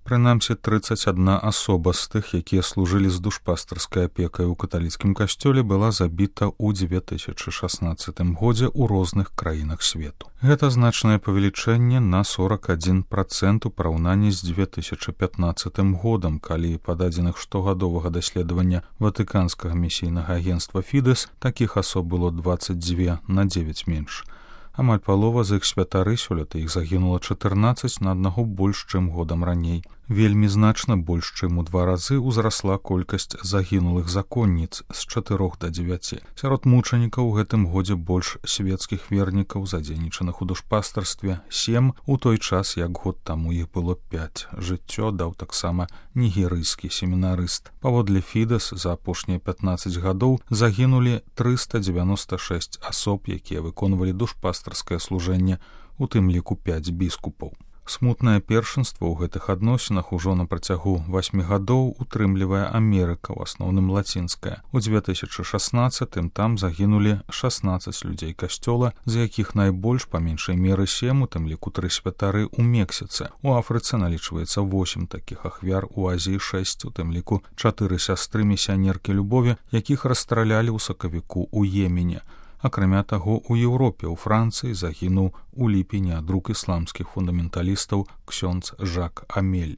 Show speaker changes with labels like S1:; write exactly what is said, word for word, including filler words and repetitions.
S1: Прынамсі трыццаць адна асоба з тых, якія служылі з душпастарскай апекай у каталіцкім касцёле, была забіта ў дзве тысячы шаснаццатым годзе ў розных краінах свету. Гэта значнае павелічэнне на сорок адзін працэнт у параўнанні з дзве тысячы пятнаццатым годам, калі па дадзеных штогадовага даследавання ватыканскага місійнага агенцтва Фідэс такіх асоб было дваццаць дзве на дзевяць менш. Амаль палова з іх святары, сёлета іх загінула чатырнаццаць на аднаго больш, чым годам раней. Вельмі значна больш, чым у два разы ўзрасла колькасць загінулых законніц з чатырох да дзевяці. Сярод мучанікаў у гэтым годзе больш свецкіх вернікаў, задзейнічаных у душпастарстве, сем, у той час, як год таму іх было пяць. Жыццё даў таксама нігерыйскі семінарыст. Паводле Фідэс за апошнія пятнаццаць гадоў загінулі трыста дзевяноста шэсць асоб, якія выконвалі душпастарскае служэнне, у тым ліку пяць біскупаў. Смутнае першынства ў гэтых адносінах ужо на працягу васьмі гадоў утрымлівае Амерыка, у асноўным лацінская. У дзве тысячы шаснаццатым там загінулі шаснаццаць людзей касцёла, з якіх найбольш па меншай меры сем, у тым ліку тры святары ў Мексіцы. У Афрыцы налічваецца восем такіх ахвяр, у Азіі шэсць, у тым ліку чатыры сястры місіянеркі любові, якіх расстралялі ў сакавіку ў Йемене. Акрамя таго, у Еўропе, у Францыі загінуў у ліпені ад рук ісламскіх фундаменталістаў ксёндз Жак Амель.